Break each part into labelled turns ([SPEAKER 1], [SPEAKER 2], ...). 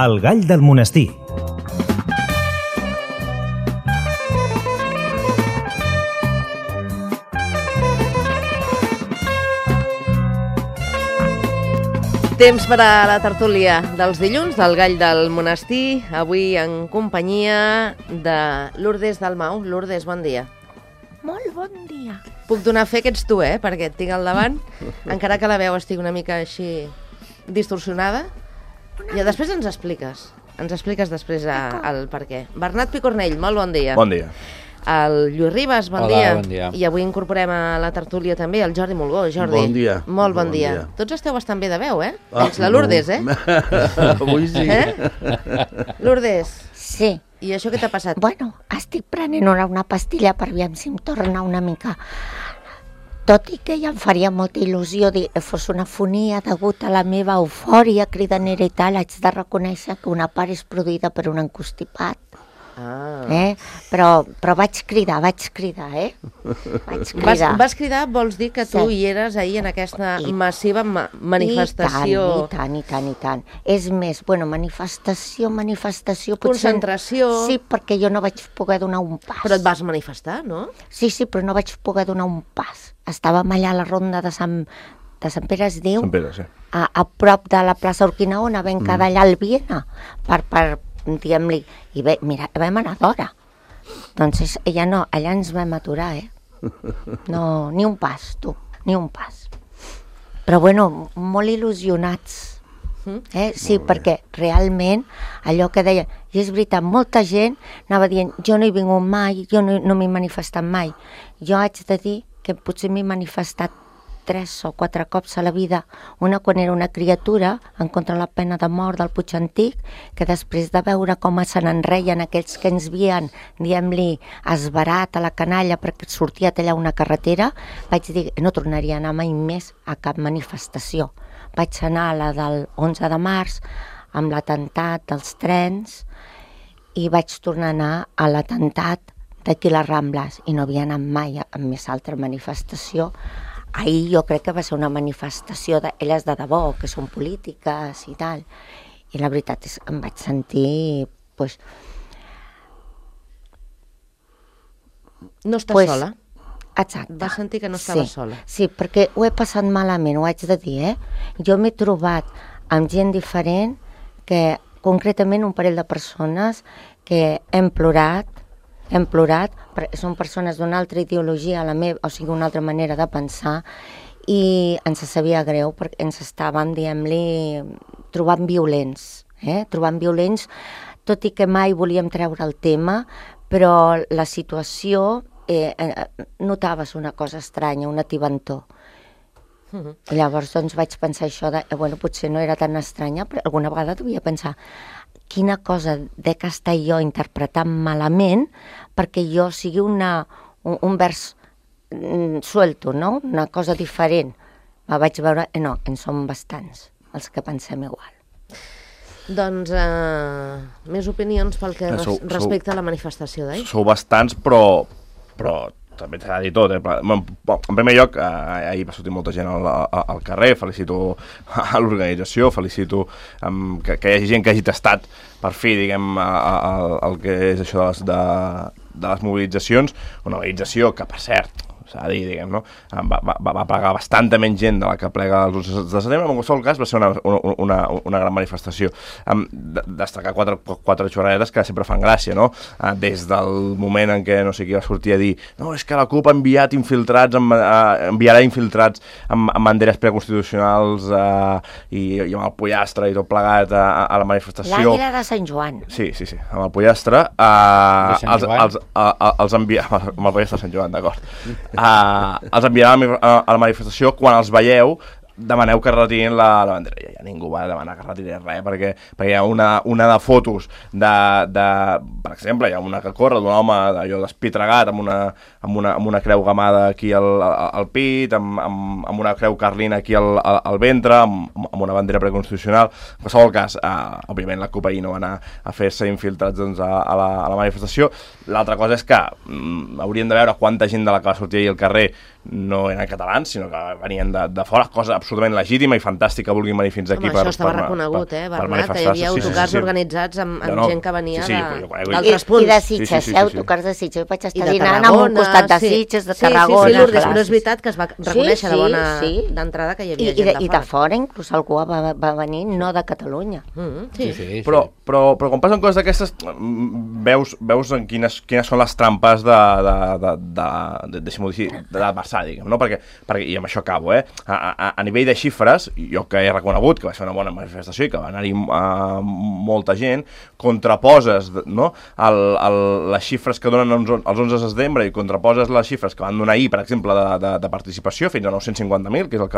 [SPEAKER 1] El gall del monestir.
[SPEAKER 2] Temps per a la tertúlia dels dilluns del Gall del Monestir, avui en companyia de Lourdes Dalmau. Lourdes, bon dia.
[SPEAKER 3] Molt bon dia.
[SPEAKER 2] Puc donar fe que ets tu, perquè et tinc al davant, encara que la veu estigui una mica així distorsionada. I després ens expliques després el per què. Bernat Picornell, molt bon dia.
[SPEAKER 4] Bon dia.
[SPEAKER 2] El Lluís Ribas, bon dia.
[SPEAKER 5] Hola, bon dia.
[SPEAKER 2] I avui incorporem a la tertúlia també el Jordi Mulgó. Jordi,
[SPEAKER 6] bon dia.
[SPEAKER 2] Molt bon dia. Tots esteu bastant bé de veu, Menys la Lourdes,
[SPEAKER 6] Avui sí.
[SPEAKER 2] Lourdes.
[SPEAKER 3] Sí.
[SPEAKER 2] I això què t'ha passat?
[SPEAKER 3] Bueno, estic prenent una pastilla per veure si em torna una mica. Tot i que ja em faria molta il·lusió dir que fos una fonia degut a la meva eufòria cridanera i tal, haig de reconèixer que una part és produïda per un encostipat. Però vaig cridar, Vaig cridar.
[SPEAKER 2] Vas cridar, vols dir que tu hi eres ahir en aquesta massiva manifestació.
[SPEAKER 3] I tant. És més, manifestació...
[SPEAKER 2] Concentració...
[SPEAKER 3] Sí, perquè jo no vaig poder donar un pas.
[SPEAKER 2] Però et vas manifestar, no?
[SPEAKER 3] Sí, però no vaig poder donar un pas. Estàvem allà a la ronda de Sant Pere, es diu?
[SPEAKER 4] Sant Pere, sí.
[SPEAKER 3] A prop de la plaça Urquinaona, vam quedar allà al Viena, per diguem-li, i mira, vam anar d'hora. Doncs allà ens vam aturar, No, ni un pas, tu, ni un pas. Però molt il·lusionats, Sí, perquè realment allò que deia, i és veritat, molta gent anava dient, jo no he vingut mai, jo no m'he manifestat mai. Jo haig de dir que potser m'he manifestat 3 o 4 cops a la vida, una quan era una criatura en contra la pena de mort del Puig Antic, que després de veure com se n'enreien aquells que ens havien, diguem-li, esbarat a la canalla perquè sortia tallar una carretera, vaig dir que no tornaria a anar mai més a cap manifestació. Vaig anar a la del 11 de març amb l'atemptat dels trens i vaig tornar a anar a l'atemptat d'aquí a les Rambles i no havia anat mai a més altra manifestació. Ahir jo crec que va ser una manifestació d'elles de debò, que són polítiques i tal. I la veritat és que em vaig sentir...
[SPEAKER 2] No estàs sola?
[SPEAKER 3] Exacte.
[SPEAKER 2] Vas sentir que no estaves sola?
[SPEAKER 3] Sí, perquè ho he passat malament, ho haig de dir, Jo m'he trobat amb gent diferent, que concretament un parell de persones que hem plorat, perquè són persones d'una altra ideologia, una altra manera de pensar, i ens sabia greu perquè ens estàvem, diguem-li, trobant violents, tot i que mai volíem treure el tema, però la situació notaves una cosa estranya, una tibantor. I llavors vaig pensar això potser no era tan estranya, però alguna vegada devia pensar quina cosa dec estar jo interpretant malament perquè jo sigui un vers suelto, no? Una cosa diferent. Vaig veure, no, en som bastants els que pensem igual.
[SPEAKER 2] Doncs més opinions pel que respecta a la manifestació d'ahir?
[SPEAKER 4] Sou bastants, però també s'ha de dir tot. En primer lloc, ahir va sortir molta gent al carrer, felicito a l'organització, felicito que hi hagi gent que hagi tastat per fi, diguem, el que és això de les mobilitzacions, una mobilització que, per cert, s'ha de dir, diguem, no? Va plegar bastanta menys gent de la que plega el 11 de setembre, en qualsevol cas va ser una gran manifestació. Destacar quatre xorradetes que sempre fan gràcia, no? Des del moment en què no sé qui va sortir a dir no, és que la CUP ha enviarà infiltrats amb banderes preconstitucionals i amb el pollastre i tot plegat a la manifestació.
[SPEAKER 3] L'Àguila de Sant Joan.
[SPEAKER 4] Sí, amb el pollastre. Els enviarà... Amb el pollastre de Sant Joan, d'acord. Els enviarà a la manifestació. Quan els veieu, demaneu que retirin la bandera. Ja ningú va demanar que retirin res, perquè hi ha una de fotos per exemple, hi ha una que corre d'un home allò despitregat amb una creu gamada aquí al pit, amb una creu carlina aquí al ventre, amb una bandera preconstitucional. En qualsevol cas, òbviament la CUP ahir no va anar a fer-se infiltrats a la manifestació. L'altra cosa és que hauríem de veure quanta gent de la que va sortir ahir al carrer no eren catalans, sinó que venien de fora, cosa absolutament legítima i fantàstica que vulguin venir fins aquí.
[SPEAKER 2] Home, això estava reconegut, Bernat, que hi havia autocars organitzats amb gent que venia d'altres punts.
[SPEAKER 3] I de Sitges, autocars de Sitges. Vaig estar dinant a un costat de Sitges, de Tarragona.
[SPEAKER 2] Sí, Lourdes, però és veritat que es va reconèixer de bona d'entrada que hi havia gent de fora.
[SPEAKER 3] I de fora, inclús algú va venir, no de Catalunya.
[SPEAKER 4] Però quan passen coses d'aquestes, veus en quines són les trampes deixem-ho dir, de l'adversari, no? Perquè, i amb això acabo, a nivell de xifres, jo que he reconegut que va ser una bona manifestació i que va anar-hi molta gent, contraposes, no?, les xifres que donen els 11 de setembre i contraposes les xifres que van donar ahir, per exemple, de participació, fins a 950.000, que és el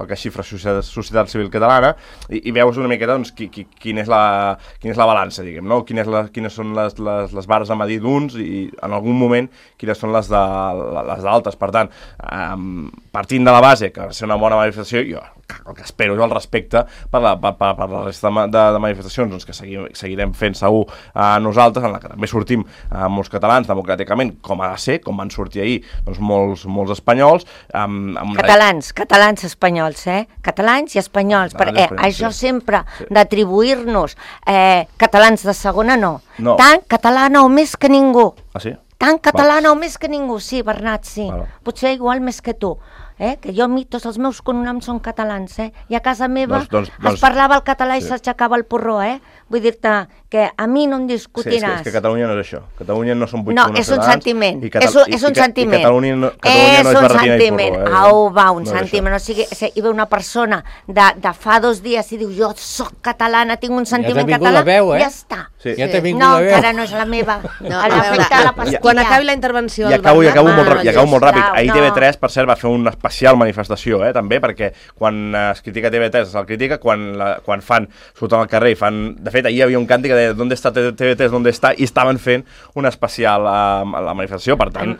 [SPEAKER 4] que xifra Societat Civil Catalana, i veus una miqueta doncs, quina és la balança, diguem, no? Quines són les barres a medir d'uns i en algun moment quines són les d'altres. Per tant, partint de la base que va ser una bona manifestació, jo el que espero és el respecte per la resta de manifestacions doncs, que seguirem fent segur nosaltres, en la que també sortim molts catalans democràticament, com ha de ser, com van sortir ahir doncs, molts espanyols.
[SPEAKER 3] Catalans espanyols, catalans i espanyols, perquè això sempre d'atribuir-nos catalans de segona no. Tant catalana o més que ningú.
[SPEAKER 4] Ah, sí?
[SPEAKER 3] Tant catalana o més que ningú, sí, Bernat, sí. Potser igual més que tu. Que jo, tots els meus cognoms són catalans, i a casa meva es parlava el català i s'aixecava el porró, Vull dir-te que a mi no em discutiràs.
[SPEAKER 4] Sí, és que Catalunya no és això. Catalunya no són 8
[SPEAKER 3] no, és un sentiment. És un sentiment.
[SPEAKER 4] I Catalunya no és barretina i porró.
[SPEAKER 3] Au, va, un sentiment. O sigui, hi ve una persona de fa 2 dies i diu, jo soc catalana, tinc un sentiment català, ja està.
[SPEAKER 6] Ja t'he vingut
[SPEAKER 3] la
[SPEAKER 6] veu.
[SPEAKER 3] No, encara no és la meva.
[SPEAKER 2] Quan acabi la intervenció...
[SPEAKER 4] I acabo molt ràpid. Ahir TV3, per cert, va fer una especial manifestació, també, perquè quan es critica TV3 se'l critica, quan surten al carrer i fan... De fet, ahir hi havia un càntic que deia ¿dónde está TV3, dónde está? I estaven fent una especial a la manifestació, per tant,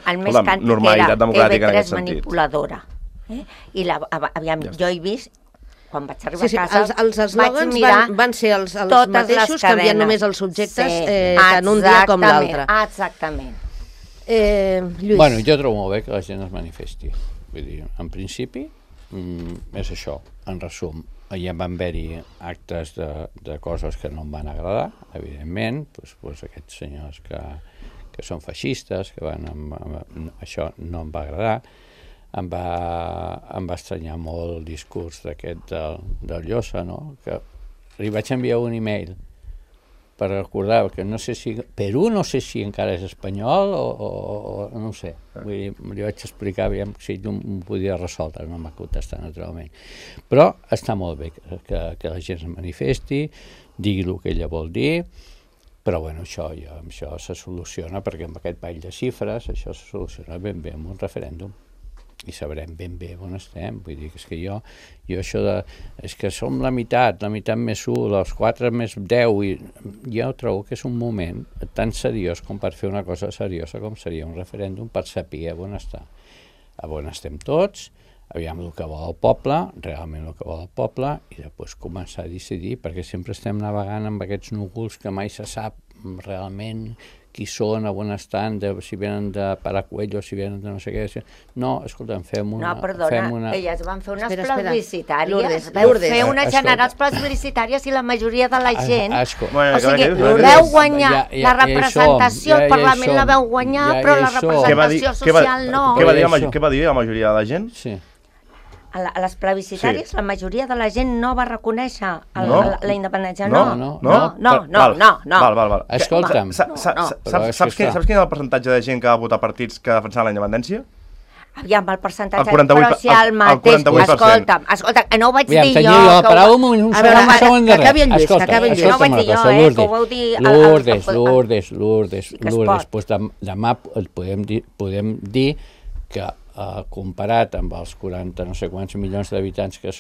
[SPEAKER 4] normalitat democràtica en aquest sentit.
[SPEAKER 3] TV3 manipuladora. I aviam, jo he vist, quan vaig arribar a casa,
[SPEAKER 2] els eslògans van ser els mateixos, canviant només els subjectes tant un dia com l'altre.
[SPEAKER 3] Exactament.
[SPEAKER 2] Lluís.
[SPEAKER 6] Bueno, jo trobo molt bé que la gent es manifesti. Vull dir, en principi, és això, en resum. Ja van haver-hi actes de coses que no em van agradar, evidentment, doncs aquests senyors que són feixistes, que van això no em va agradar. Em va estranyar molt el discurs d'aquest del Llosa, no? Que li vaig enviar un e-mail per recordar que no sé si Perú no sé si encara és espanyol o no ho sé. Vull dir, li vaig explicar aviam si ell ho podia resoldre, no m'ha contestat naturalment. Però està molt bé que la gent es manifesti, digui el que ella vol dir, però bueno, això se soluciona perquè amb aquest ball de xifres això se soluciona ben bé amb un referèndum. I sabrem ben bé on estem. Vull dir que és que jo això és que som la meitat més 1, els 4 més 10, i jo trobo que és un moment tan seriós com per fer una cosa seriosa com seria un referèndum per saber on està. On estem tots, aviam el que vol el poble, realment el que vol el poble, i després començar a decidir, perquè sempre estem navegant amb aquests núvols que mai se sap realment qui són, on estan, si venen de Paracuello, si venen de no sé què. No, escolta'm, fem una...
[SPEAKER 3] No, perdona, elles van fer unes plebiscitàries, fer unes generals plebiscitàries i la majoria de la gent... O sigui, veu guanyar la representació, el Parlament la veu guanyar, però la representació social no.
[SPEAKER 4] Què va dir la majoria de la gent?
[SPEAKER 6] Sí.
[SPEAKER 3] A les plebiscitàries la majoria de la gent no va reconèixer la independència. No.
[SPEAKER 4] Val.
[SPEAKER 6] Escolta'm.
[SPEAKER 4] Saps quin és el percentatge de gent que va votar partits que defensaven la independència?
[SPEAKER 3] Aviam, el percentatge, però si el mateix... Escolta'm, no ho vaig dir jo...
[SPEAKER 6] La paraula un segon
[SPEAKER 2] darrere. Acabi el Lluís,
[SPEAKER 3] no ho vaig dir jo, que ho vau dir...
[SPEAKER 6] Lourdes, doncs demà podem dir que comparat amb els 40 no sé quants milions d'habitants que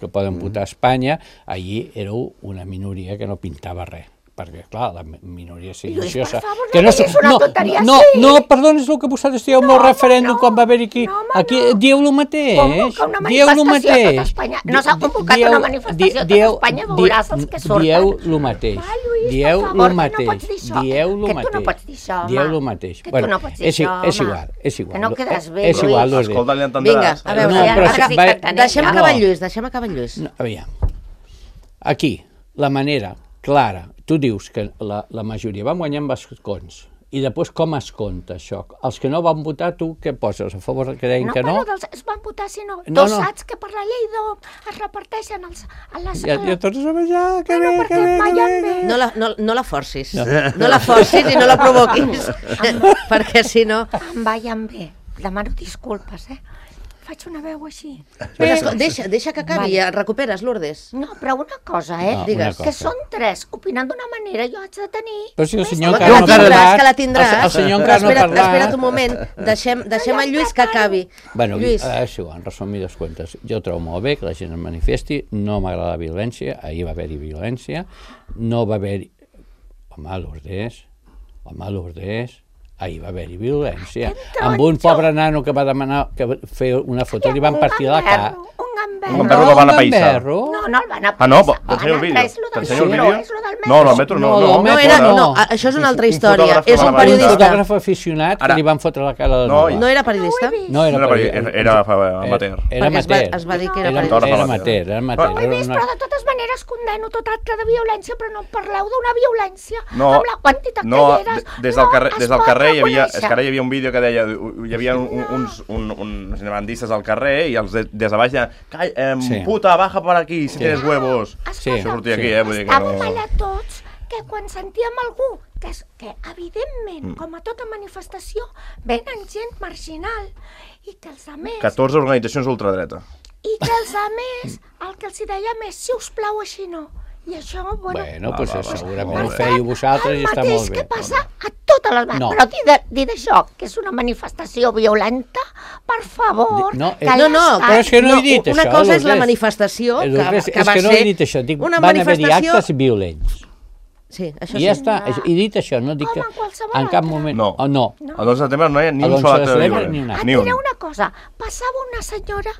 [SPEAKER 6] poden votar a Espanya, allí éreu una minoria que no pintava res. perquè, clar, la minoria silenciosa...
[SPEAKER 3] Lluís, per favor, no diguis una tonteria així.
[SPEAKER 6] No, perdona, és el que vosaltres dieu amb el referèndum quan va haver-hi aquí. Dieu el mateix.
[SPEAKER 3] Convoca una manifestació a tot Espanya. No s'ha convocat una manifestació a tot Espanya, veuràs els que surten.
[SPEAKER 6] Dieu el mateix. Dieu el mateix. Dieu el
[SPEAKER 3] mateix. Que tu no pots dir això, home.
[SPEAKER 6] Dieu el mateix.
[SPEAKER 3] Que tu no pots dir això, home.
[SPEAKER 6] És igual.
[SPEAKER 3] Que no quedes bé,
[SPEAKER 6] és igual,
[SPEAKER 3] Lluís.
[SPEAKER 4] Escolta, li entendràs.
[SPEAKER 2] Vinga, a veure, deixem acabar en Lluís.
[SPEAKER 6] Aviam. Aquí, la manera clara, tu dius que la majoria van guanyar amb escons, i després com es compta això? Els que no van votar, tu què poses? A favor que deien que no?
[SPEAKER 3] No, però es van votar, sinó tu saps que per la llei es reparteixen a les...
[SPEAKER 6] Ja tots a menjar, que bé,
[SPEAKER 3] que bé.
[SPEAKER 2] No la forcis. No la forcis i no la provoquis, perquè si no...
[SPEAKER 3] Em vayan bé. Demano disculpes, Faig una veu així.
[SPEAKER 2] Deixa que acabi, recuperes, Lourdes.
[SPEAKER 3] No, però una cosa,
[SPEAKER 2] Digues.
[SPEAKER 3] Que són tres, opinant d'una manera, jo haig de tenir...
[SPEAKER 6] Però si el senyor encara no ha parlat...
[SPEAKER 2] Que la tindràs.
[SPEAKER 6] El senyor encara no ha parlat...
[SPEAKER 2] Espera't un moment, deixem el Lluís que acabi.
[SPEAKER 6] Bueno, això, en resumides comptes, jo trobo molt bé que la gent es manifesti, no m'agrada la violència, ahir va haver-hi violència, no va haver-hi... Home, Lourdes... Ahir va haver-hi violència. Amb un pobre nano que va demanar fer una foto i li van partir la cara.
[SPEAKER 4] Un gamberro que van apallissar.
[SPEAKER 3] No el van apallissar.
[SPEAKER 4] Ah, no? T'ensenyo el vídeo. T'ensenyo el vídeo? No, el metro no.
[SPEAKER 2] No, això és una altra història. És un periodista.
[SPEAKER 6] Un fotògraf aficionat que li van fotre la cara de nou.
[SPEAKER 2] No era periodista?
[SPEAKER 6] No era periodista.
[SPEAKER 4] Era amateur.
[SPEAKER 6] Era amateur.
[SPEAKER 2] Es va dir que era periodista.
[SPEAKER 6] Era amateur.
[SPEAKER 3] Però de totes maneres condeno tot acte de violència, però no parleu d'una violència amb la quantitat que hi eres.
[SPEAKER 4] Des del carrer hi havia un vídeo que deia hi havia uns bandistes al carrer i els des de baix deien puta, baja per aquí si tienes huevos. Això sortia aquí, vull dir que no...
[SPEAKER 3] Estàvem allà tots que quan sentíem algú que evidentment, com a tota manifestació, venen gent marginal i que els altres...
[SPEAKER 4] 14 organitzacions ultradreta.
[SPEAKER 3] I que els altres el que els dèiem és, si us plau, així no. I això,
[SPEAKER 6] bueno, doncs segurament ho fèieu vosaltres i està molt bé.
[SPEAKER 3] El mateix que passa a totes les... Però dir d'això, que és una manifestació violenta, per favor...
[SPEAKER 2] No, però
[SPEAKER 6] és que no he dit això.
[SPEAKER 2] Una cosa és la manifestació, que va ser...
[SPEAKER 6] És que no he dit això, dic, van haver-hi actes violents.
[SPEAKER 2] Sí, això
[SPEAKER 6] sí. I ja està, i dit això, no dic que en cap moment...
[SPEAKER 4] No, el 11 de setembre no hi ha ni un sol acte violent.
[SPEAKER 3] Et diré una cosa, passava una senyora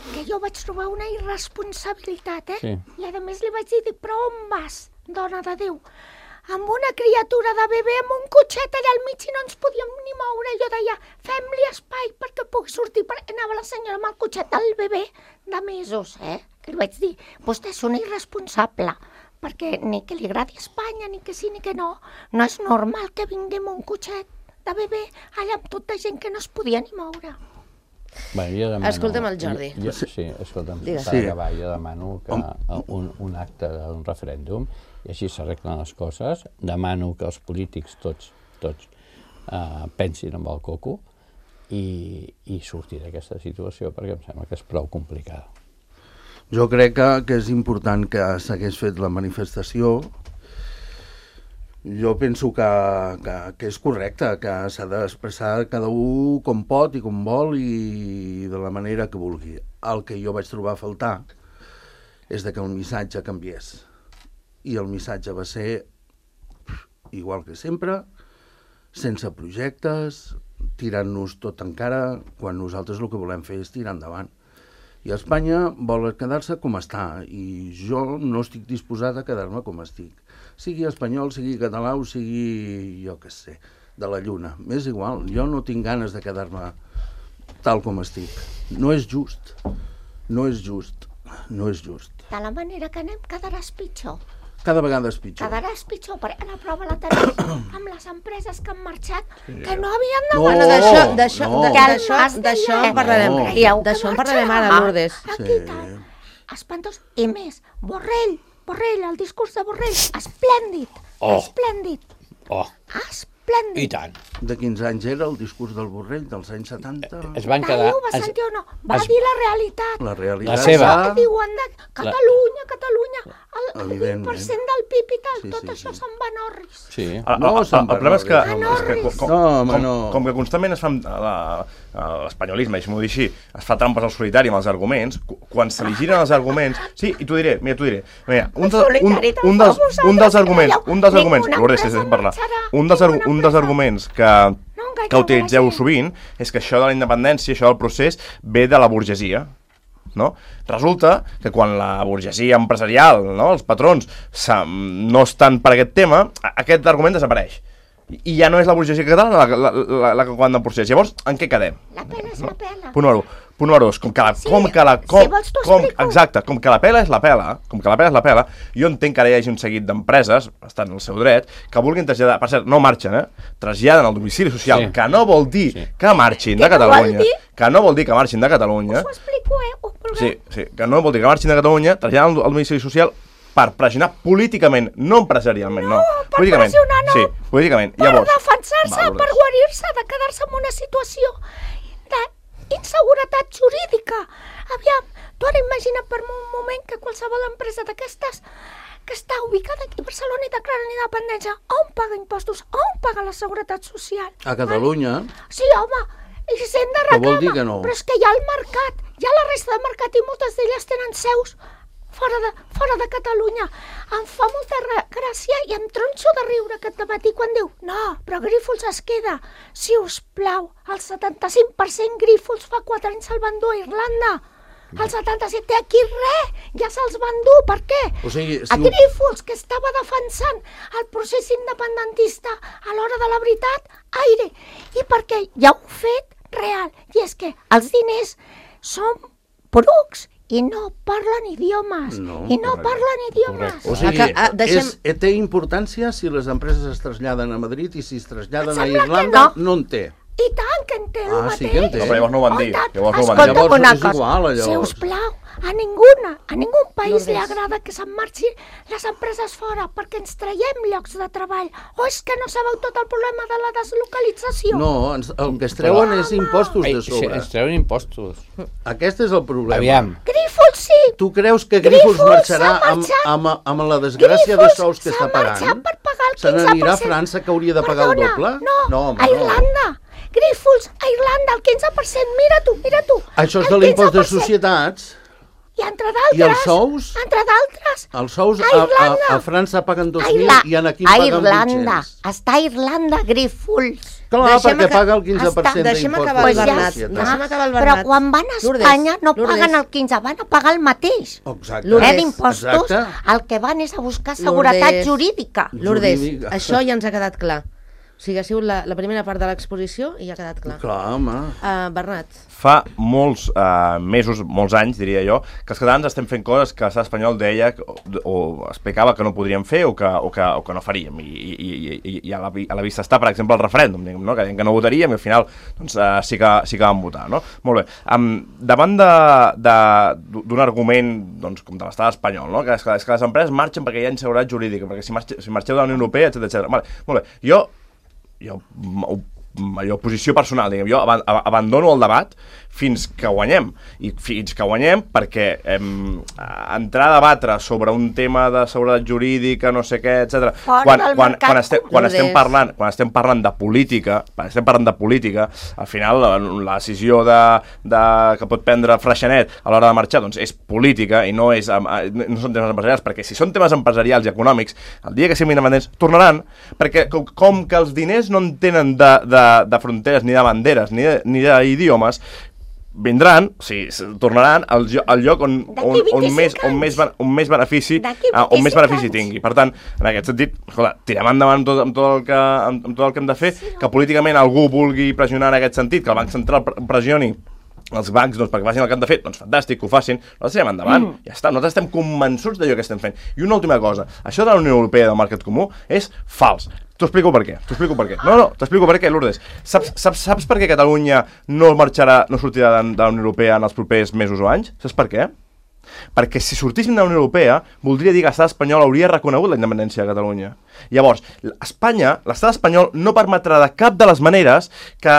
[SPEAKER 3] que jo vaig trobar una irresponsabilitat,
[SPEAKER 6] Sí.
[SPEAKER 3] I a més li vaig dir, però on vas, dona de Déu? Amb una criatura de bebè amb un cotxet allà al mig i no ens podíem ni moure. Jo deia, fem-li espai perquè pugui sortir. Anava la senyora amb el cotxet del bebè de mesos, Que li vaig dir, vostè és una irresponsable, perquè ni que li agradi Espanya, ni que sí ni que no. No és normal que vinguem un cotxet de bebè allà amb tota gent que no es podia ni moure.
[SPEAKER 6] Bueno, jo demano...
[SPEAKER 2] Escolta'm el Jordi.
[SPEAKER 6] Sí, escolta'm, per acabar, jo demano que un acte d'un referèndum, i així s'arreglen les coses, demano que els polítics tots pensin amb el coco i sortir d'aquesta situació, perquè em sembla que és prou complicada.
[SPEAKER 1] Jo crec que és important que s'hagués fet la manifestació. Jo penso que és correcte, que s'ha d'expressar cada un com pot i com vol i de la manera que vulgui. El que jo vaig trobar a faltar és que el missatge canviés. I el missatge va ser igual que sempre, sense projectes, tirant-nos tot en cara, quan nosaltres el que volem fer és tirar endavant. I Espanya vol quedar-se com està, i jo no estic disposat a quedar-me com estic. Sigui espanyol, sigui català o sigui, jo què sé, de la lluna. M'és igual, jo no tinc ganes de quedar-me tal com estic. No és just, no és just, no és just.
[SPEAKER 3] De la manera que anem quedaràs pitjor.
[SPEAKER 1] Cada vegada és pitjor.
[SPEAKER 3] Quedaràs pitjor, perquè la prova la tenim amb les empreses que han marxat, que no havien de...
[SPEAKER 2] D'això en parlarem. D'això en parlarem ara, Lourdes.
[SPEAKER 3] Aquí tal. Espantós. I més, Borrell, el discurs de Borrell, esplèndid, esplèndid, esplèndid.
[SPEAKER 6] I tant.
[SPEAKER 1] De 15 anys era el discurs del Borrell, dels anys 70?
[SPEAKER 6] Es van quedar...
[SPEAKER 3] Ho va sentir o no? Va dir la realitat.
[SPEAKER 1] La realitat.
[SPEAKER 6] La seva.
[SPEAKER 3] Diuen de Catalunya, el 20% del PIB i tal, tot això se'n va en orris.
[SPEAKER 6] Sí.
[SPEAKER 4] El problema és que,
[SPEAKER 1] no.
[SPEAKER 4] com que constantment es fan l'espanyolisme, deixa'm-ho dir així, es fa trampes al solitari amb els arguments, quan se li giren els arguments... Sí, i t'ho diré. Mira, un dels arguments, Lourdes, deixa'm parlar, un dels arguments que utilitzeu sovint és que això de la independència, això del procés, ve de la burgesia. No? Resulta que quan la burgesia empresarial, no? Els patrons no estan per aquest tema, aquest argument desapareix. I ja no és la burgesia catalana la que comanda el procés. Llavors, en què quedem?
[SPEAKER 3] La pela és la pela.
[SPEAKER 4] Punt número 2. Com que la pela és la pela, jo entenc que ara hi hagi un seguit d'empreses, estan en el seu dret, que vulguin traslladar, per cert, no marxen, traslladen el domicili social, que no vol dir que marxin de Catalunya,
[SPEAKER 3] Us ho explico,
[SPEAKER 4] Sí, que no vol dir que marxin de Catalunya, traslladen el domicili social per pressionar políticament, no empresarialment, no.
[SPEAKER 3] Per pressionar, no.
[SPEAKER 4] Sí, políticament.
[SPEAKER 3] Per defensar-se, per guarir-se, de quedar-se en una situació d'inseguretat jurídica. Aviam, tu ara imagina per un moment que qualsevol empresa d'aquestes que està ubicada aquí a Barcelona i declara l'independència, on paga impostos, on paga la seguretat social?
[SPEAKER 1] A Catalunya?
[SPEAKER 3] Sí, home, i s'hem de reclamar,
[SPEAKER 1] vol dir que no?
[SPEAKER 3] Però és que hi ha el mercat, hi ha la resta de mercat i moltes d'elles tenen seus fora de Catalunya. Em fa molta gràcia i em tronxo de riure aquest dematí quan diu no, però Grífols es queda. Si us plau, el 75% Grífols fa 4 anys se'l van dur a Irlanda. El 77% té aquí res, ja se'ls van dur. Per què?
[SPEAKER 1] O sigui,
[SPEAKER 3] a Grífols, que estava defensant el procés independentista a l'hora de la veritat, aire. I perquè hi ha un fet real, i és que els diners són porucs i no parlen idiomes.
[SPEAKER 1] O sigui, té importància si les empreses es traslladen a Madrid i si es traslladen a Irlanda, no en té.
[SPEAKER 3] I tant que en té el mateix.
[SPEAKER 1] Sí que en té.
[SPEAKER 4] Però llavors no ho van dir.
[SPEAKER 3] Escolta'm una cosa.
[SPEAKER 1] Igual,
[SPEAKER 3] sisplau, a ningú país li agrada que se'n marxi les empreses fora perquè ens traiem llocs de treball. O és que no sabeu tot el problema de la deslocalització?
[SPEAKER 1] No, el que es treuen és impostos de sobre.
[SPEAKER 6] Es treuen impostos.
[SPEAKER 1] Aquest és el problema.
[SPEAKER 6] Aviam.
[SPEAKER 3] Grífols sí.
[SPEAKER 1] Tu creus que Grífols marxarà amb la desgràcia de sous que està pagant?
[SPEAKER 3] Grífols s'ha marxat per pagar el 15%.
[SPEAKER 1] Se n'anirà a França que hauria de pagar el doble?
[SPEAKER 3] No, a Irlanda. Grífols, a Irlanda, el 15%, mira tu.
[SPEAKER 1] Això és de l'impost de societats.
[SPEAKER 3] I entre d'altres...
[SPEAKER 1] I els sous?
[SPEAKER 3] Entre d'altres...
[SPEAKER 1] Els sous a França paguen 2.000 i aquí paguen 800.
[SPEAKER 3] A Irlanda, està a Irlanda, Grífols.
[SPEAKER 1] Clar, perquè paga el 15% d'impost de societats.
[SPEAKER 3] Però quan van a Espanya no paguen el 15%, van a pagar el mateix. D'impostos, el que van és a buscar seguretat jurídica.
[SPEAKER 2] Lourdes, això ja ens ha quedat clar. O sigui, ha sigut la primera part de l'exposició i ja ha quedat clar.
[SPEAKER 1] Clar, home.
[SPEAKER 2] Bernat.
[SPEAKER 4] Fa molts mesos, molts anys, diria jo, que els catalans estem fent coses que l'estat espanyol deia o explicava que no podríem fer o que no faríem. I a la vista està, per exemple, el referèndum, no? Que deien que no votaríem i al final doncs, sí que vam votar. No? Molt bé. Davant d'un argument doncs, com de l'estat espanyol, no? que és que les empreses marxen perquè hi ha inseguretat jurídica, perquè si marxeu de la Unió Europea, etc. Vale, molt bé. Jo, posició personal, diguem, jo abandono el debat fins que guanyem. I fins que guanyem perquè entrar a debatre sobre un tema de seguretat jurídica, no sé què, etc. Quan estem parlant de política, al final la decisió que pot prendre Freixenet a l'hora de marxar doncs és política i no són temes empresarials, perquè si són temes empresarials i econòmics, el dia que siguin independents tornaran, perquè com que els diners no en tenen de fronteres, ni de banderes, ni d'idiomes, vindran, o sigui, tornaran al lloc on més benefici tingui. Per tant, en aquest sentit, escolta, tirem endavant amb tot el que hem de fer, que políticament algú vulgui pressionar en aquest sentit, que el Banc Central pressioni els bancs doncs, perquè facin el que han de fer, doncs fantàstic, que ho facin, nosaltres tirem endavant, ja està, nosaltres estem convençuts d'allò que estem fent. I una última cosa, això de la Unió Europea del Mercat Comú és fals. T'ho explico per què. No, t'explico per què, Lourdes. Saps per què Catalunya no sortirà de la Unió Europea en els propers mesos o anys? Saps per què? Perquè si sortíssim de la Unió Europea voldria dir que l'estat espanyol hauria reconegut la independència de Catalunya. Llavors, l'estat espanyol no permetrà de cap de les maneres que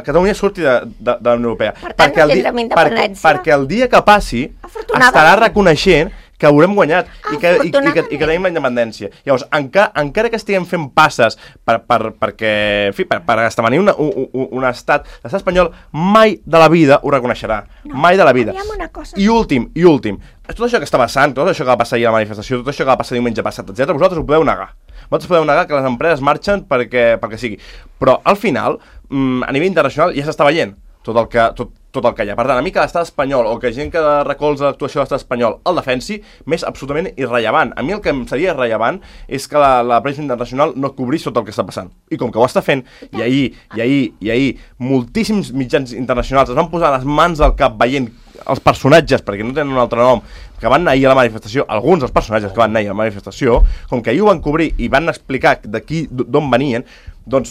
[SPEAKER 4] Catalunya surti de la Unió Europea.
[SPEAKER 3] Per tant, no tindrem independència.
[SPEAKER 4] Perquè el dia que passi estarà reconeixent que haurem guanyat i que tenim la independència. Llavors, encara que estiguem fent passes perquè, en fi, per esdevenir un estat, l'estat espanyol mai de la vida ho reconeixerà. Mai de la vida. I últim, tot això que està passant, tot això que va passar ahir a la manifestació, tot això que va passar diumenge passat, etc., vosaltres ho podeu negar. Vosaltres podeu negar que les empreses marxen perquè sigui. Però, al final, a nivell internacional ja s'està veient tot el que hi ha. Per tant, a mi que l'estat espanyol o que gent que recolza l'actuació de l'estat espanyol el defensi, m'és absolutament irrellevant. A mi el que em seria irrellevant és que la premsa internacional no cobrís tot el que està passant. I com que ho està fent, i ahir moltíssims mitjans internacionals es van posar les mans al cap veient els personatges, perquè no tenen un altre nom, que van anar ahir a la manifestació, alguns dels personatges que van anar ahir a la manifestació, com que ahir ho van cobrir i van explicar d'on venien, doncs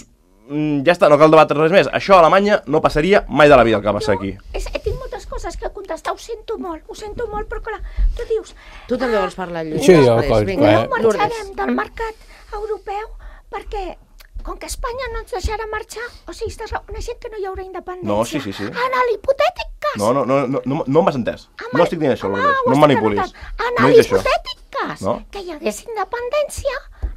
[SPEAKER 4] ja està, no cal debatre res més. Això a Alemanya no passaria mai de la vida el que va passar aquí.
[SPEAKER 5] Tinc moltes coses que contestar, ho sento molt, però clar, tu dius...
[SPEAKER 2] Tu també vols parlar, Lluís?
[SPEAKER 6] Sí,
[SPEAKER 5] no marxarem del mercat europeu perquè, com que Espanya no ens deixarà marxar, o sigui, estàs una gent que no hi haurà independència.
[SPEAKER 4] No, sí.
[SPEAKER 5] En l'hipotètic cas...
[SPEAKER 4] No m'has entès. No estic dient això, Lourdes. No em manipulis.
[SPEAKER 5] En l'hipotètic cas que hi hagués independència,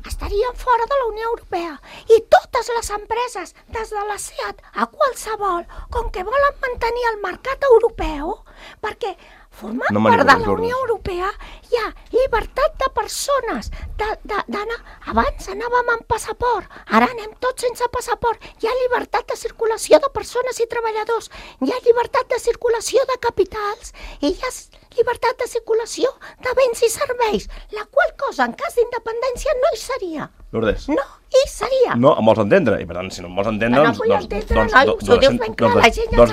[SPEAKER 5] estarien fora de la Unió Europea. I totes les empreses, des de la SEAT a qualsevol, com que volen mantenir el mercat europeu, perquè formant part de la Unió Europea hi ha llibertat de persones d'anar. Abans anàvem amb passaport, ara anem tots sense passaport. Hi ha llibertat de circulació de persones i treballadors, hi ha llibertat de circulació de capitals i hi ha llibertat de circulació de béns i serveis, la qual cosa en cas d'independència no hi seria.
[SPEAKER 4] Lourdes.
[SPEAKER 5] No hi seria.
[SPEAKER 4] No, em vols entendre, i per tant, si no em vols entendre, doncs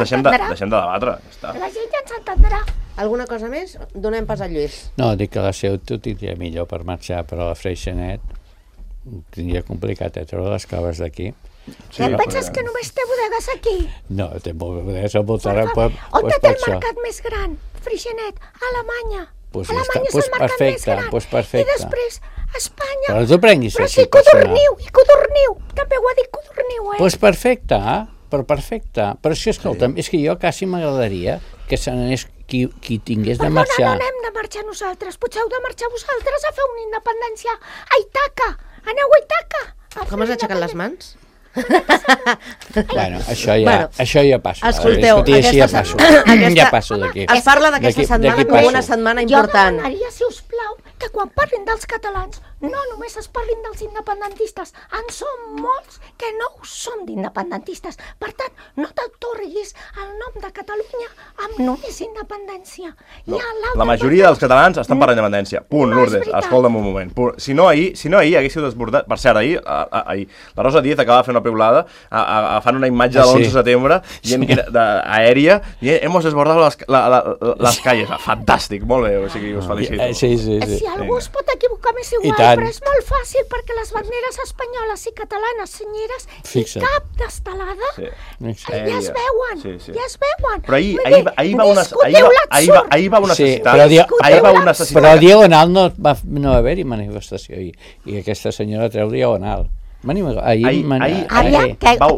[SPEAKER 4] deixem de debatre.
[SPEAKER 5] La gent ja ens entendrà.
[SPEAKER 2] Alguna cosa més? Donem pas a Lluís.
[SPEAKER 6] No, dic que la seu t'ho tindria millor per marxar, però la Freixenet tindria complicat treure les caves d'aquí.
[SPEAKER 5] Sí, et penses que només té bodegues aquí?
[SPEAKER 6] No, té bodegues al voltant.
[SPEAKER 5] On té el mercat més gran? Freixenet, Alemanya. Alemanya és el mercat més gran. I després, Espanya.
[SPEAKER 6] Però tu prenguis
[SPEAKER 5] però sí, Codorniu. També ho ha dit Codorniu,
[SPEAKER 6] Doncs perfecte, Però si, escolta'm, és que jo quasi m'agradaria que se n'anés qui tingués de marxar.
[SPEAKER 5] No hem de marxar nosaltres, potser heu de marxar vosaltres a fer una independència a Ítaca. Aneu a Ítaca.
[SPEAKER 2] Com has aixecat les mans?
[SPEAKER 6] Bueno, això ja passo.
[SPEAKER 2] Escolteu,
[SPEAKER 6] ja passo d'aquí.
[SPEAKER 2] Es parla d'aquesta setmana com una setmana important.
[SPEAKER 5] Jo demanaria, si us plau, que quan parlin dels catalans no només es parlin dels independentistes. En som molts que no ho som d'independentistes. Per tant, no t'autoriguis el nom de Catalunya amb només independència.
[SPEAKER 4] No, la majoria dels catalans estan per la independència. Punt, Lourdes, escolta'm un moment. Si no ahir haguéssiu desbordat... Per cert, ahir la Rosa Díez acaba de fer una piulada agafant una imatge de l'11 de setembre aèria i hemos desbordado les calles. Fantàstic, molt bé, o sigui, us felicito.
[SPEAKER 6] Sí.
[SPEAKER 5] Si algú es pot equivocar m'és igual, però és molt fàcil perquè les banderes espanyoles i catalanes senyeres i cap d'estelada ja es veuen, ja es veuen.
[SPEAKER 4] Però ahir va una necessitat.
[SPEAKER 6] Però a Diagonal no va haver-hi manifestació i aquesta senyora treu Diagonal.
[SPEAKER 5] Que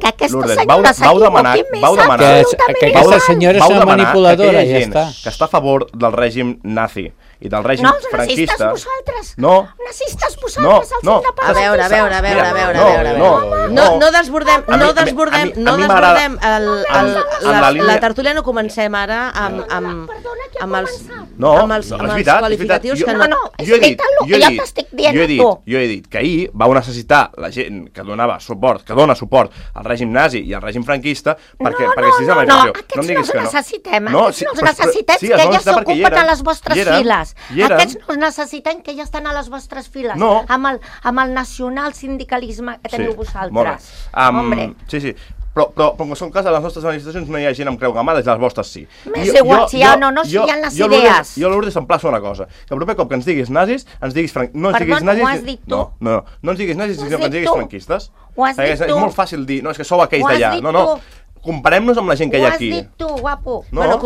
[SPEAKER 5] aquesta senyora
[SPEAKER 6] que aquesta senyora és una manipuladora, ja està.
[SPEAKER 4] Que està a favor del règim nazi i del règim franquista.
[SPEAKER 5] Nazistes vosaltres, els independents.
[SPEAKER 2] A veure. No desbordem la tertúlia, no comencem ara amb els qualificatius que no.
[SPEAKER 4] Jo he dit que ahir va necessitar la gent que dona suport al règim nazi i al règim franquista perquè estigués a la manifestació.
[SPEAKER 5] No, aquests no els necessitem, que ja s'ocupen a les vostres files. Aquests no necessiten que ja estan a les vostres files, amb el nacional sindicalisme que teniu vosaltres.
[SPEAKER 4] Sí. Però en qualsevol cas, a les nostres manifestacions no hi ha gent amb creu gamada, i les vostres sí.
[SPEAKER 5] M'és igual, si hi ha o no, si hi ha les idees.
[SPEAKER 4] Jo, Lourdes, emplaço una cosa. Que el proper cop que ens diguis nazis, ens diguis franquistes. No ens diguis nazis, sinó que ens diguis franquistes.
[SPEAKER 5] Ho has dit tu.
[SPEAKER 4] És molt fàcil dir, no, és que sou aquells d'allà. No. Comparem-nos amb la gent que hi ha aquí.
[SPEAKER 5] Ho has dit tu, guapo.
[SPEAKER 2] Bueno,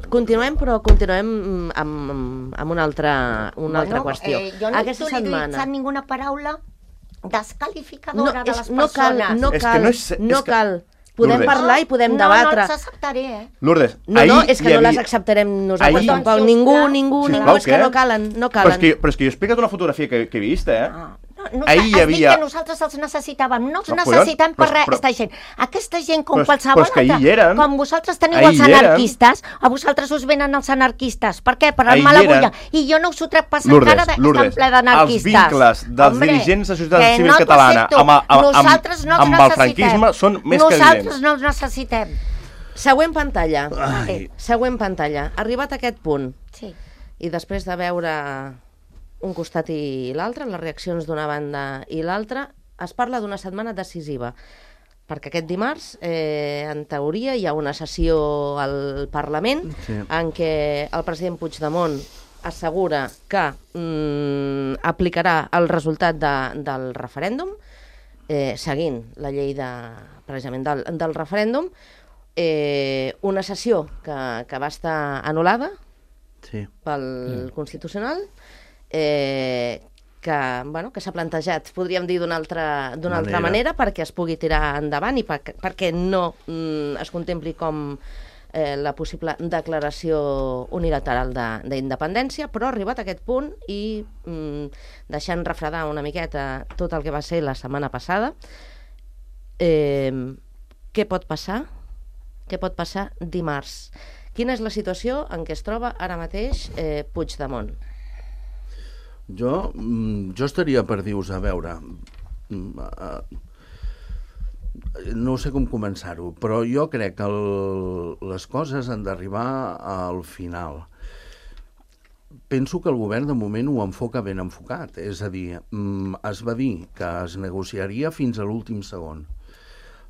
[SPEAKER 2] continuem amb una altra qüestió.
[SPEAKER 5] Jo no he utilitzat ninguna paraula descalificadora de les persones.
[SPEAKER 2] No cal podem parlar i podem debatre.
[SPEAKER 3] No els acceptaré,
[SPEAKER 4] Lourdes,
[SPEAKER 2] No, és que no les acceptarem nosaltres tampoc. Ningú, és que no calen.
[SPEAKER 4] Però és que jo he explicat una fotografia que he vist,
[SPEAKER 3] Ahir hi havia... Has dit que nosaltres els necessitàvem. No els necessitem per res, aquesta gent. Aquesta gent, com qualsevol altra, com vosaltres teniu els anarquistes, a vosaltres us venen els anarquistes. Per què? Per armar la bulla. I jo no us ho trec passant encara d'estar ple d'anarquistes.
[SPEAKER 4] Els vincles dels dirigents de societat civil catalana amb el franquisme són més que evidents.
[SPEAKER 3] Nosaltres no els necessitem.
[SPEAKER 2] Següent pantalla. Següent pantalla. Arribat a aquest punt, i després de veure un costat i l'altre, les reaccions d'una banda i l'altra, es parla d'una setmana decisiva, perquè aquest dimarts, en teoria, hi ha una sessió al Parlament en què el president Puigdemont assegura que aplicarà el resultat del referèndum, seguint la llei precisament del referèndum, una sessió que va estar anul·lada pel Constitucional, que s'ha plantejat, podríem dir d'una altra manera, perquè es pugui tirar endavant i perquè no es contempli com la possible declaració unilateral d'independència, però arribat a aquest punt i deixant refredar una miqueta tot el que va ser la setmana passada, què pot passar? Què pot passar dimarts? Quina és la situació en què es troba ara mateix Puigdemont?
[SPEAKER 1] Jo estaria per dir-vos, a veure, no sé com començar-ho, però jo crec que les coses han d'arribar al final. Penso que el govern de moment ho enfoca ben enfocat, és a dir, es va dir que es negociaria fins a l'últim segon.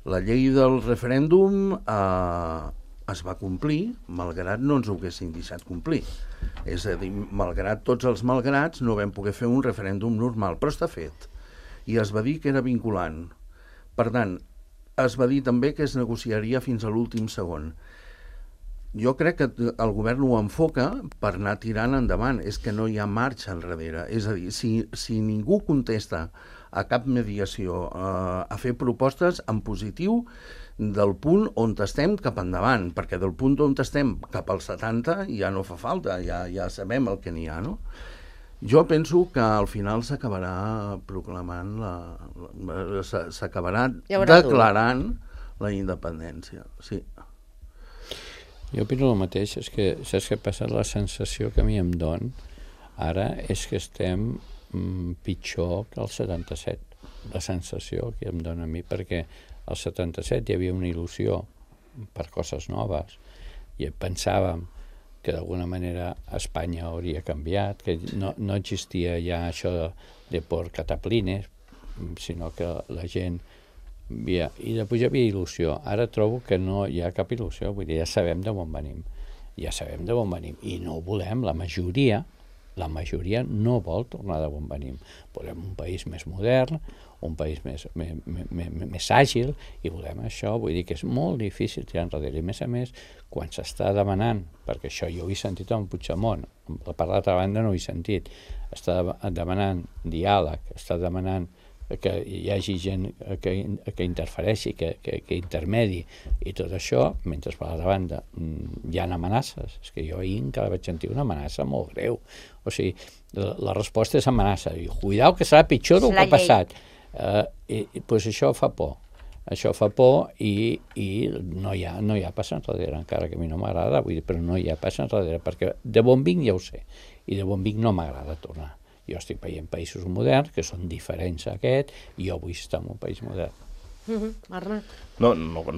[SPEAKER 1] La llei del referèndum es va complir, malgrat no ens ho haguessin deixat complir. És a dir, malgrat tots els malgrats, no vam poder fer un referèndum normal, però està fet. I es va dir que era vinculant. Per tant, es va dir també que es negociaria fins a l'últim segon. Jo crec que el govern ho enfoca per anar tirant endavant. És que no hi ha marxa enrere. És a dir, si ningú contesta a cap mediació, a fer propostes en positiu del punt on estem cap endavant, perquè del punt on estem cap als 70 ja no fa falta, ja sabem el que n'hi ha, no? Jo penso que al final s'acabarà proclamant, s'acabarà declarant la independència, sí.
[SPEAKER 6] Jo opino el mateix, és que saps què passa? La sensació que a mi em don ara és que estem pitjor que el 77. La sensació que em dona a mi, perquè al 77 hi havia una il·lusió per coses noves i pensàvem que d'alguna manera Espanya hauria canviat, que no existia ja això de por cataplines, sinó que la gent havia... I després hi havia il·lusió. Ara trobo que no hi ha cap il·lusió, vull dir, ja sabem d'on venim. Ja sabem d'on venim i no ho volem, la majoria no vol tornar d'on venim. Volem un país més modern, un país més àgil, i volem això. Vull dir que és molt difícil tirar enrere. I a més, quan s'està demanant, perquè això jo ho he sentit amb Puigdemont, per l'altra banda no ho he sentit, està demanant diàleg, està demanant que hi hagi gent que interfereixi, que intermedi i tot això, mentre per l'altra banda hi ha amenaces. És que jo ahir encara vaig sentir una amenaça molt greu. O sigui, la resposta és amenaça. I cuidao que serà pitjor del que ha passat. Doncs això fa por. Això fa por i no hi ha pas enrere, encara que a mi no m'agrada, però no hi ha pas enrere, perquè de bon vinc ja ho sé, i de bon vinc no m'agrada tornar. Jo estic veient països moderns que són diferents a aquest i jo vull estar en un país modern.
[SPEAKER 2] Arnat?
[SPEAKER 4] No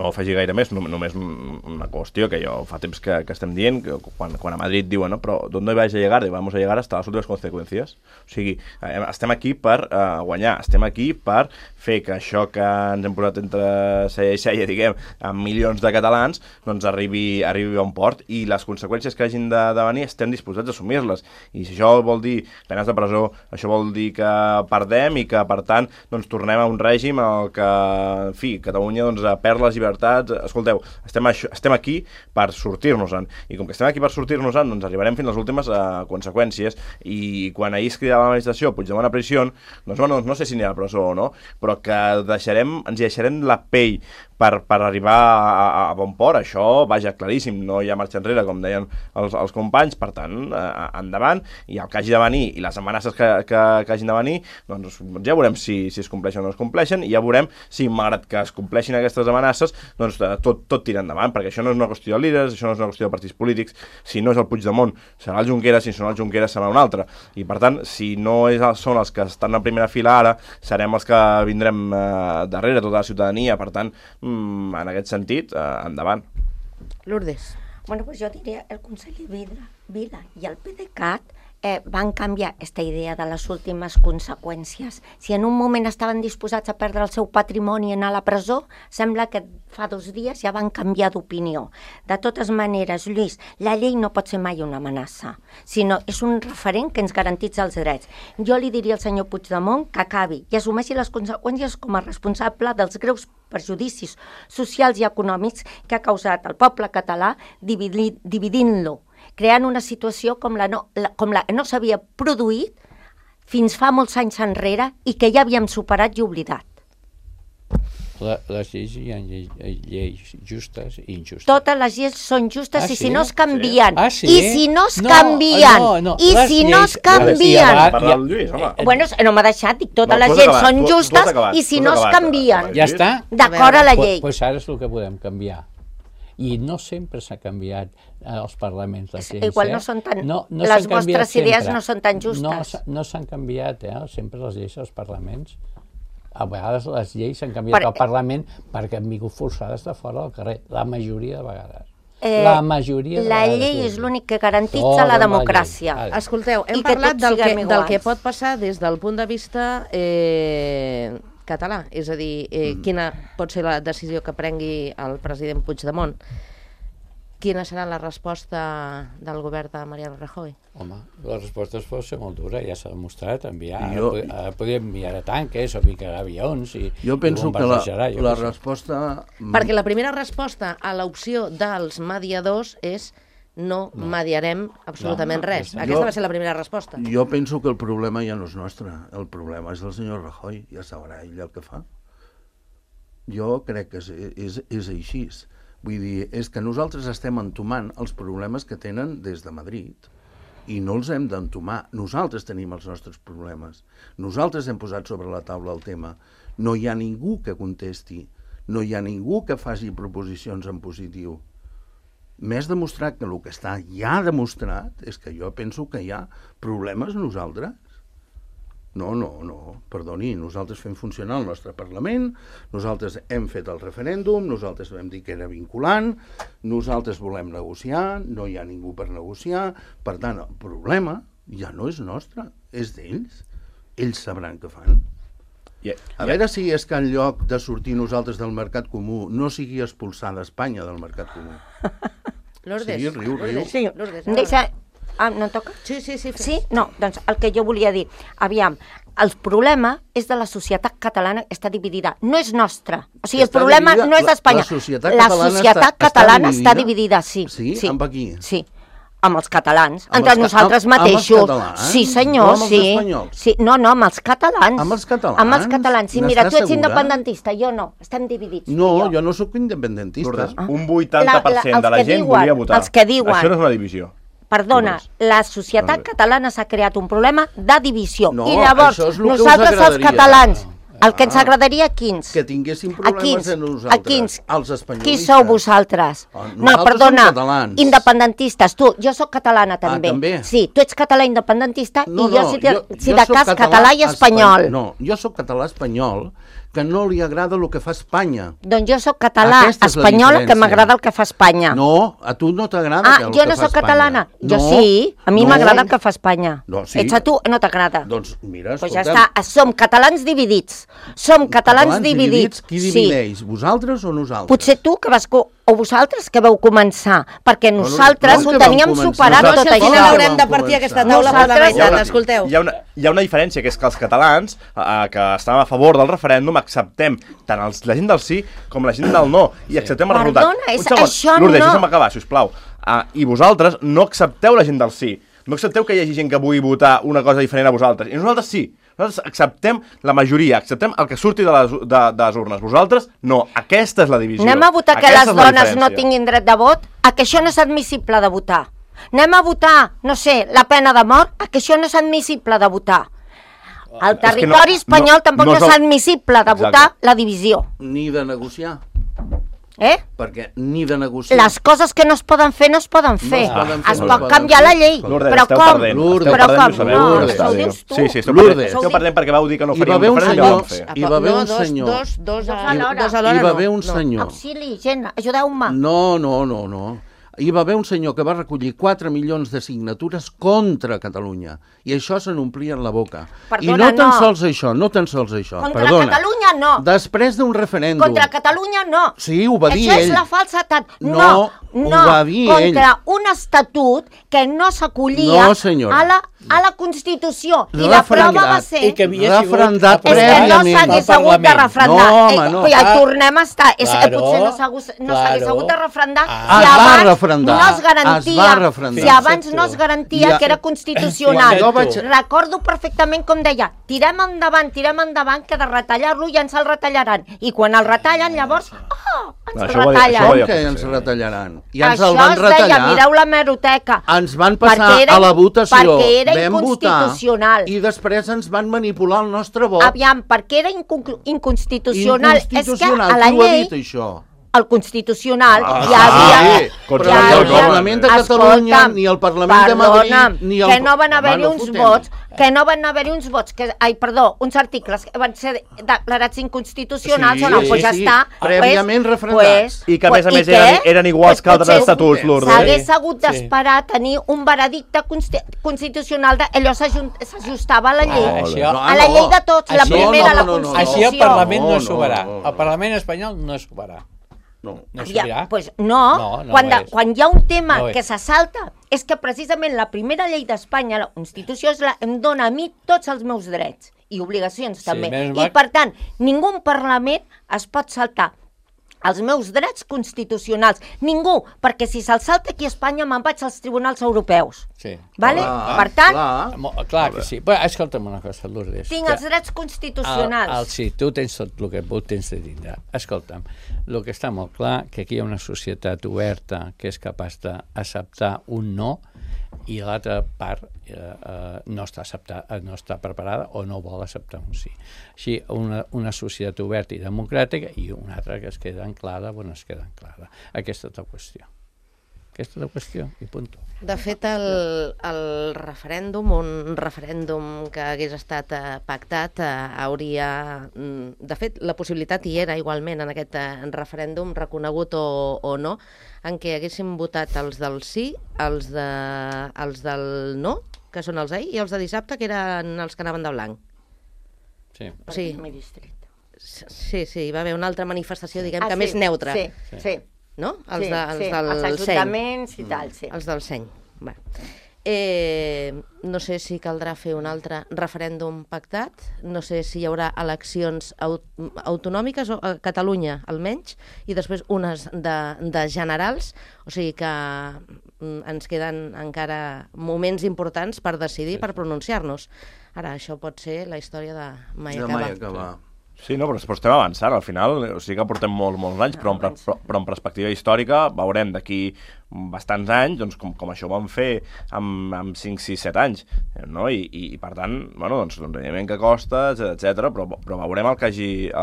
[SPEAKER 4] afegir gaire més, només una qüestió que jo fa temps que estem dient, que quan a Madrid diuen, no, però ¿dónde vais a llegar? Vamos a llegar hasta las últimas consecuencias. O sigui, estem aquí per guanyar, estem aquí per fer que això que ens hem posat entre cella i cella, diguem, amb milions de catalans, doncs arribi a un port, i les conseqüències que hagin de venir estem disposats a assumir-les. I si això vol dir penes de presó, això vol dir que perdem i que, per tant, doncs tornem a un règim en què, en fi, Catalunya doncs, perd les llibertats. Escolteu, estem aquí per sortir-nos-en, i com que estem aquí per sortir-nos-en, doncs arribarem fins a les últimes conseqüències. I quan ahir es cridava la manifestació Puigdemont a pressió, doncs bueno, no sé si anirà a presó o no, però que ens deixarem la pell per arribar a bon port. Això, vaja, claríssim, no hi ha marxa enrere, com deien els companys, per tant, endavant, i el que hagi de venir i les amenaces que hagin de venir, doncs ja veurem si es compleixen o no es compleixen, i ja veurem si, malgrat que es compleixin aquestes amenaces, doncs tot tira endavant, perquè això no és una qüestió de líders, això no és una qüestió de partits polítics. Si no és el Puigdemont, serà el Junqueras, si no el Junqueras serà un altre, i per tant, si no són els que estan a primera fila ara, serem els que vindrem darrere, tota la ciutadania. Per tant, en aquest sentit, endavant.
[SPEAKER 2] Lourdes.
[SPEAKER 3] Bueno, pues jo diria el conseller Vila i el PDeCAT van canviar aquesta idea de les últimes conseqüències. Si en un moment estaven disposats a perdre el seu patrimoni i anar a la presó, sembla que fa 2 dies ja van canviar d'opinió. De totes maneres, Lluís, la llei no pot ser mai una amenaça, sinó és un referent que ens garantitza els drets. Jo li diria al senyor Puigdemont que acabi i assumeixi les conseqüències com a responsable dels greus perjudicis socials i econòmics que ha causat el poble català dividint-lo, creant una situació com la no s'havia produït fins fa molts anys enrere i que ja havíem superat i oblidat.
[SPEAKER 6] Les lleis hi ha lleis justes i injustes.
[SPEAKER 3] Totes les lleis són justes i si no es canvien.
[SPEAKER 6] Sí.
[SPEAKER 3] I si no es canvien. I si no es canvien. Bueno, no m'ha deixat, dic, totes les lleis són justes i si no es canvien.
[SPEAKER 6] Ja està.
[SPEAKER 3] D'acord a la llei.
[SPEAKER 6] Doncs ara és el que podem canviar. I no sempre s'ha canviat als parlaments les lleis.
[SPEAKER 3] Igual no són tan... Les vostres idees no són tan justes.
[SPEAKER 6] No s'han canviat, sempre les lleis als parlaments. A vegades les lleis s'han canviat al Parlament perquè han vingut forçades de fora del carrer, la majoria de vegades.
[SPEAKER 3] La llei és l'únic que garantitza la democràcia.
[SPEAKER 2] Escolteu, hem parlat del que pot passar des del punt de vista català, és a dir, quina pot ser la decisió que prengui el president Puigdemont. Quina serà la resposta del govern de Mariano Rajoy?
[SPEAKER 6] Home, la resposta pot ser molt dura, ja s'ha demostrat, enviar. Podria enviar tanques o picar avions i
[SPEAKER 1] jo penso que la resposta...
[SPEAKER 2] Perquè la primera resposta a l'opció dels mediadors és no mediarem absolutament res. Aquesta va ser la primera resposta.
[SPEAKER 1] Jo penso que el problema ja no és nostre, el problema és del senyor Rajoy, ja sabrà ell el que fa. Jo crec que és així. Vull dir, és que nosaltres estem entomant els problemes que tenen des de Madrid i no els hem d'entomar. Nosaltres tenim els nostres problemes. Nosaltres hem posat sobre la taula el tema. No hi ha ningú que contesti. No hi ha ningú que faci proposicions en positiu. Més demostrat que el que està ja demostrat és que jo penso que hi ha problemes nosaltres. No, perdoni, nosaltres fem funcionar el nostre Parlament, nosaltres hem fet el referèndum, nosaltres vam dir que era vinculant, nosaltres volem negociar, no hi ha ningú per negociar, per tant, el problema ja no és nostre, és d'ells. Ells sabran què fan. A veure si és que en lloc de sortir nosaltres del mercat comú no sigui expulsada Espanya del mercat comú.
[SPEAKER 2] Lourdes.
[SPEAKER 1] Sí, riu.
[SPEAKER 3] Sí, deixa... no toca?
[SPEAKER 2] Sí.
[SPEAKER 3] Sí? No, doncs el que jo volia dir. Aviam, el problema és de la societat catalana que està dividida. No és nostra. O sigui, el problema no és d'Espanya.
[SPEAKER 1] La societat catalana
[SPEAKER 3] està dividida, sí.
[SPEAKER 1] Sí? Amb qui?
[SPEAKER 3] Sí. Amb els catalans, entre nosaltres mateixos. Sí, senyor, sí. No, amb els catalans.
[SPEAKER 1] Amb els catalans?
[SPEAKER 3] Amb els catalans, sí. Mira, tu ets independentista, jo no. Estem dividits.
[SPEAKER 1] No, jo no sóc independentista.
[SPEAKER 4] Un 80% de la gent volia votar.
[SPEAKER 3] Els que diuen.
[SPEAKER 4] Això no és una divisió.
[SPEAKER 3] Perdona, la societat catalana s'ha creat un problema de divisió.
[SPEAKER 1] No,
[SPEAKER 3] i llavors, nosaltres els catalans, el que ens agradaria, quins?
[SPEAKER 1] Que tinguéssim problemes a nosaltres, als espanyolistes.
[SPEAKER 3] Qui sou vosaltres? No, perdona, independentistes. Jo sóc catalana també.
[SPEAKER 1] També?
[SPEAKER 3] Sí, tu ets català independentista i jo, si de cas, català i espanyol.
[SPEAKER 1] No, jo sóc català espanyol, que no li agrada el que fa Espanya.
[SPEAKER 3] Doncs jo sóc català espanyol, que m'agrada el que fa Espanya.
[SPEAKER 1] No, a tu no t'agrada el que fa Espanya.
[SPEAKER 3] Jo no sóc catalana. Jo sí, a mi m'agrada el que fa Espanya. Ets a tu, no t'agrada.
[SPEAKER 1] Doncs mira,
[SPEAKER 3] escolta'm. Doncs ja està, som catalans dividits. Som catalans dividits.
[SPEAKER 1] Qui divideix, vosaltres o nosaltres?
[SPEAKER 3] Potser tu que vas... O vosaltres que vau començar, perquè nosaltres ho teníem superat tot això.
[SPEAKER 2] No haurem de partir aquesta taula parlamentària, escolteu.
[SPEAKER 4] Hi ha una diferència, que és que els catalans, que estàvem a favor del referèndum, acceptem tant la gent del sí com la gent del no, i acceptem el resultat.
[SPEAKER 3] Perdona, això no...
[SPEAKER 4] Lourdes, deixa'm acabar, sisplau. I vosaltres no accepteu la gent del sí. No accepteu que hi hagi gent que vulgui votar una cosa diferent a vosaltres. I nosaltres sí. Nosaltres acceptem la majoria, acceptem el que surti de les urnes. Vosaltres, no. Aquesta és la divisió.
[SPEAKER 3] Anem a votar que les dones no tinguin dret de vot, a que això no és admissible de votar. Anem a votar, no sé, la pena de mort, a que això no és admissible de votar. Al territori espanyol tampoc no és admissible de votar la divisió.
[SPEAKER 1] Ni de negociar. Perquè ni de negociar.
[SPEAKER 3] Les coses que no es poden fer, no es poden fer. Es pot canviar la llei. Però com? Però com? No, això ho dius tu.
[SPEAKER 4] Sí, esteu perdent perquè vau dir que no faríem diferent i vam fer.
[SPEAKER 1] Hi va haver un senyor.
[SPEAKER 2] Dos alhora.
[SPEAKER 1] Hi va haver un senyor.
[SPEAKER 3] Auxili, gent, ajudeu-me.
[SPEAKER 1] No. Hi va haver un senyor que va recollir 4 milions de signatures contra Catalunya. I això se n'omplien la boca.
[SPEAKER 3] Perdona,
[SPEAKER 1] I no tan sols això.
[SPEAKER 3] Contra Catalunya no.
[SPEAKER 1] Després d'un referèndum.
[SPEAKER 3] Contra Catalunya no.
[SPEAKER 1] Sí, ho va dir ell.
[SPEAKER 3] Això és la falsedat.
[SPEAKER 1] No, ho va dir ell.
[SPEAKER 3] Contra un estatut que no s'acollia a la Constitució. I la prova va ser...
[SPEAKER 6] I que havia
[SPEAKER 1] refrendat
[SPEAKER 3] és que no s'hagués hagut de refrendar.
[SPEAKER 1] No, home, no.
[SPEAKER 3] Ja hi tornem a estar. Potser no s'hagués hagut de refrendar si abans no es garantia. Si abans no es garantia que era constitucional. Recordo perfectament com deia, tirem endavant, que de retallar-lo ja ens el retallaran. I quan el retallen, llavors, ens el retallen.
[SPEAKER 1] Com que ens retallaran? Ja ens el
[SPEAKER 3] van
[SPEAKER 1] retallar.
[SPEAKER 3] Això es deia, mireu l'hemeroteca.
[SPEAKER 1] Ens van passar a la votació.
[SPEAKER 3] Perquè era inconstitucional.
[SPEAKER 1] I després ens van manipular el nostre vot.
[SPEAKER 3] Aviam, perquè era inconstitucional. És que a la
[SPEAKER 1] llei... Qui ho ha dit, això?
[SPEAKER 3] El Constitucional hi
[SPEAKER 1] havia... Però ni el Parlament de Catalunya, ni el Parlament de Madrid, ni el...
[SPEAKER 3] Que no van haver-hi uns vots, uns articles que van ser declarats inconstitucionals, doncs ja està.
[SPEAKER 1] Prèviament refrendats.
[SPEAKER 4] I que a més eren iguals que altres estatuts, Lourdes.
[SPEAKER 3] S'hagués hagut d'esperar a tenir un veredicte constitucional, allò s'ajustava a la llei. A la llei de tots, la primera, la Constitució.
[SPEAKER 6] Així el Parlament no s'oberà. El Parlament espanyol no s'oberà.
[SPEAKER 3] No, quan hi ha un tema que se salta, és que precisament la primera llei d'Espanya, la Constitució, em dona a mi tots els meus drets i obligacions també. I per tant, ningú Parlament es pot saltar els meus drets constitucionals. Ningú, perquè si se'l salta aquí a Espanya me'n vaig als tribunals europeus.
[SPEAKER 6] Sí.
[SPEAKER 3] Vale? Per tant...
[SPEAKER 6] Clar que sí. Però escolta'm una cosa, Lourdes.
[SPEAKER 3] Tinc els drets constitucionals.
[SPEAKER 6] Sí, tu tens tot el que tens de tindre. Escolta'm, el que està molt clar que aquí hi ha una societat oberta que és capaç d'acceptar un no i l'altra part no està preparada o no vol acceptar un sí. Així, una societat oberta i democràtica i una altra que es queda anclada on es queda anclada. Aquesta és la qüestió. Aquesta és la qüestió i punt.
[SPEAKER 2] De fet, el referèndum, un referèndum que hagués estat pactat, hauria... De fet, la possibilitat hi era igualment en aquest referèndum, reconegut o no, en què haguéssim votat els del sí, els del no, que són els ahir, i els de dissabte, que eren els que anaven de blanc.
[SPEAKER 6] Sí.
[SPEAKER 2] Sí, hi va haver una altra manifestació, diguem que més neutra.
[SPEAKER 3] Sí.
[SPEAKER 2] No? Els
[SPEAKER 3] ajuntaments i tal, sí.
[SPEAKER 2] Els del seny. No sé si caldrà fer un altre referèndum pactat, no sé si hi haurà eleccions autonòmiques, a Catalunya almenys, i després unes de generals, o sigui que ens queden encara moments importants per decidir, per pronunciar-nos. Ara, això pot ser la història de mai acabar.
[SPEAKER 4] Sí, no, però estem avançant, al final, o sigui que portem molts anys, però en perspectiva històrica veurem d'aquí bastants anys, doncs com això ho vam fer amb 5, 6, 7 anys, no? I per tant, bueno, doncs evidentment que costa, etc. però veurem el que hagi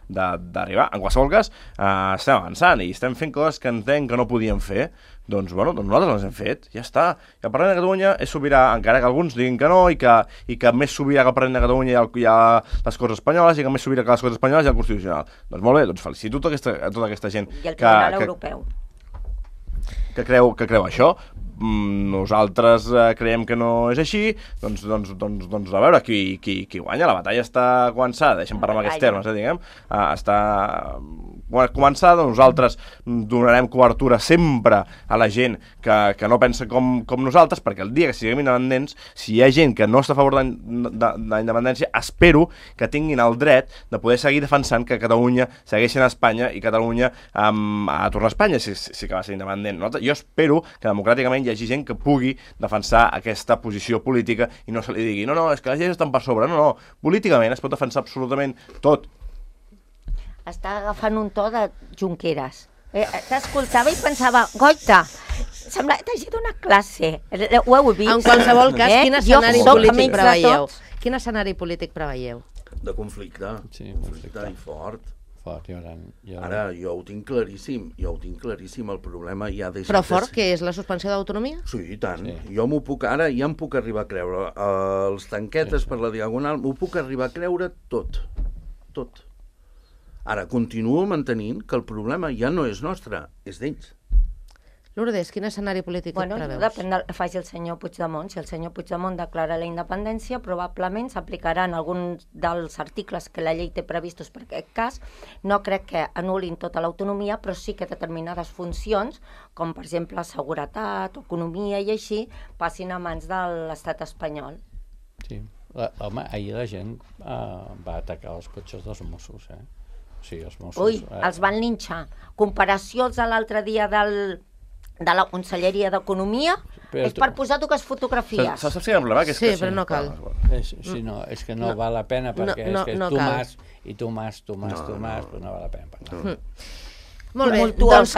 [SPEAKER 4] d'arribar. En qualsevol cas, estem avançant i estem fent coses que entenc que no podíem fer, doncs nosaltres les hem fet, ja està. I el Parlament de Catalunya és sobirà, encara que alguns diguin que no, i que més sobirà que el Parlament de Catalunya hi ha les Corts Espanyoles, i que més sobirà que les Corts Espanyoles hi ha el Constitucional. Doncs molt bé, doncs felicito a tota aquesta gent
[SPEAKER 3] i el Tribunal Europeu
[SPEAKER 4] que creu això. Nosaltres creiem que no és així, doncs a veure qui guanya. La batalla està començada, deixem parlar amb aquests termes, diguem, està començada. Nosaltres donarem cobertura sempre a la gent que no pensa com nosaltres, perquè el dia que siguem independents, si hi ha gent que no està a favor de la independència, espero que tinguin el dret de poder seguir defensant que Catalunya segueixi a Espanya i Catalunya a tornar a Espanya si que va ser independent. Jo espero que democràticament hi hi hagi gent que pugui defensar aquesta posició política i no se li digui, no, és que les lleis estan per sobre. No, políticament es pot defensar absolutament tot.
[SPEAKER 3] Està agafant un to de Junqueras. T'escoltava i pensava, goita, sembla que t'hagi donat classe. Ho heu vist?
[SPEAKER 2] En qualsevol cas, quin escenari polític preveieu?
[SPEAKER 3] Quin escenari polític preveieu?
[SPEAKER 1] De conflicte.
[SPEAKER 6] Sí,
[SPEAKER 1] conflicte i fort. Ara, jo ho tinc claríssim, el problema ja deixa...
[SPEAKER 2] Però fort, que és la suspensió d'autonomia?
[SPEAKER 1] Sí, i tant. Jo m'ho puc, ara ja em puc arribar a creure. Els tanquetes per la Diagonal, m'ho puc arribar a creure tot. Ara, continuo mantenint que el problema ja no és nostre, és d'ells.
[SPEAKER 2] Lourdes, quin escenari polític et preveus?
[SPEAKER 3] Depèn del que faci el senyor Puigdemont. Si el senyor Puigdemont declara la independència, probablement s'aplicaran alguns dels articles que la llei té previstos per aquest cas. No crec que anul·lin tota l'autonomia, però sí que determinades funcions, com per exemple seguretat, economia i així, passin a mans de l'estat espanyol.
[SPEAKER 6] Sí. Home, ahir la gent va atacar els cotxes dels Mossos, eh? Sí, els Mossos...
[SPEAKER 3] Ui, els van linxar. Comparacions de l'altre dia de la Conselleria d'Economia és per posar dues fotografies.
[SPEAKER 4] Saps si hi ha un problema?
[SPEAKER 2] Sí, però no cal.
[SPEAKER 6] Sí, no, és que no val la pena perquè és que és Tomàs, però no val la pena parlar.
[SPEAKER 2] Molt bé,
[SPEAKER 3] doncs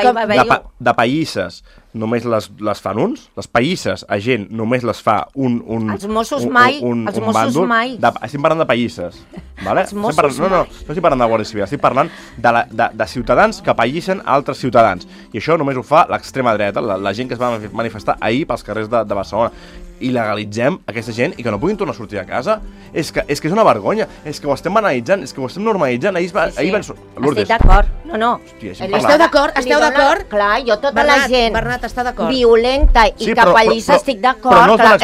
[SPEAKER 4] de païsses només les fan uns, les païsses a gent només les fa un
[SPEAKER 3] els Mossos mai, els Mossos mai.
[SPEAKER 4] Estic parlant de païsses, vale?
[SPEAKER 3] Els Mossos mai.
[SPEAKER 4] No estic parlant de Guàrdia Civil, estic parlant de ciutadans que païssen altres ciutadans, i això només ho fa l'extrema dreta, la gent que es va manifestar ahir pels carrers de Barcelona. Il·legalitzem aquesta gent i que no puguin tornar a sortir a casa. És que és una vergonya, és que ho estem banalitzant, és que ho estem normalitzant. Ahir van...
[SPEAKER 3] Lourdes. Estic d'acord, no.
[SPEAKER 4] Hòstia,
[SPEAKER 2] esteu d'acord?
[SPEAKER 3] Clar, jo tota la gent
[SPEAKER 2] Bernat està d'acord.
[SPEAKER 3] Violenta i capellissa estic d'acord.
[SPEAKER 4] Però no els van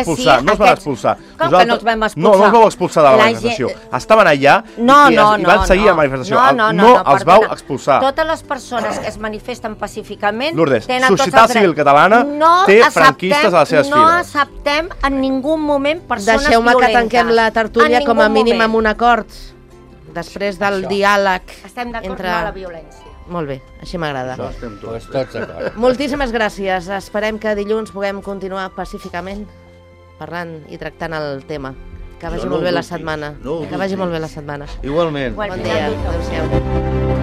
[SPEAKER 4] expulsar,
[SPEAKER 3] Com que no els vam expulsar?
[SPEAKER 4] No els vau expulsar de la manifestació. Estaven allà i van seguir la manifestació. No els vau expulsar.
[SPEAKER 3] Totes les persones que es manifesten pacíficament
[SPEAKER 4] Lourdes, Societat Civil Catalana té franquistes a les seves files.
[SPEAKER 3] No acceptem en ningú moment persones violentes.
[SPEAKER 2] Deixeu-me que tanquem la tertúlia com a mínim amb un acord. Després del diàleg entre...
[SPEAKER 3] Estem d'acord amb la violència.
[SPEAKER 2] Molt bé, així m'agrada.
[SPEAKER 6] Tots d'acord.
[SPEAKER 2] Moltíssimes gràcies. Esperem que dilluns puguem continuar pacíficament parlant i tractant el tema. Que vagi molt bé la setmana. Que vagi molt bé la setmana.
[SPEAKER 1] Igualment.
[SPEAKER 2] Bon dia. Adéu-siau.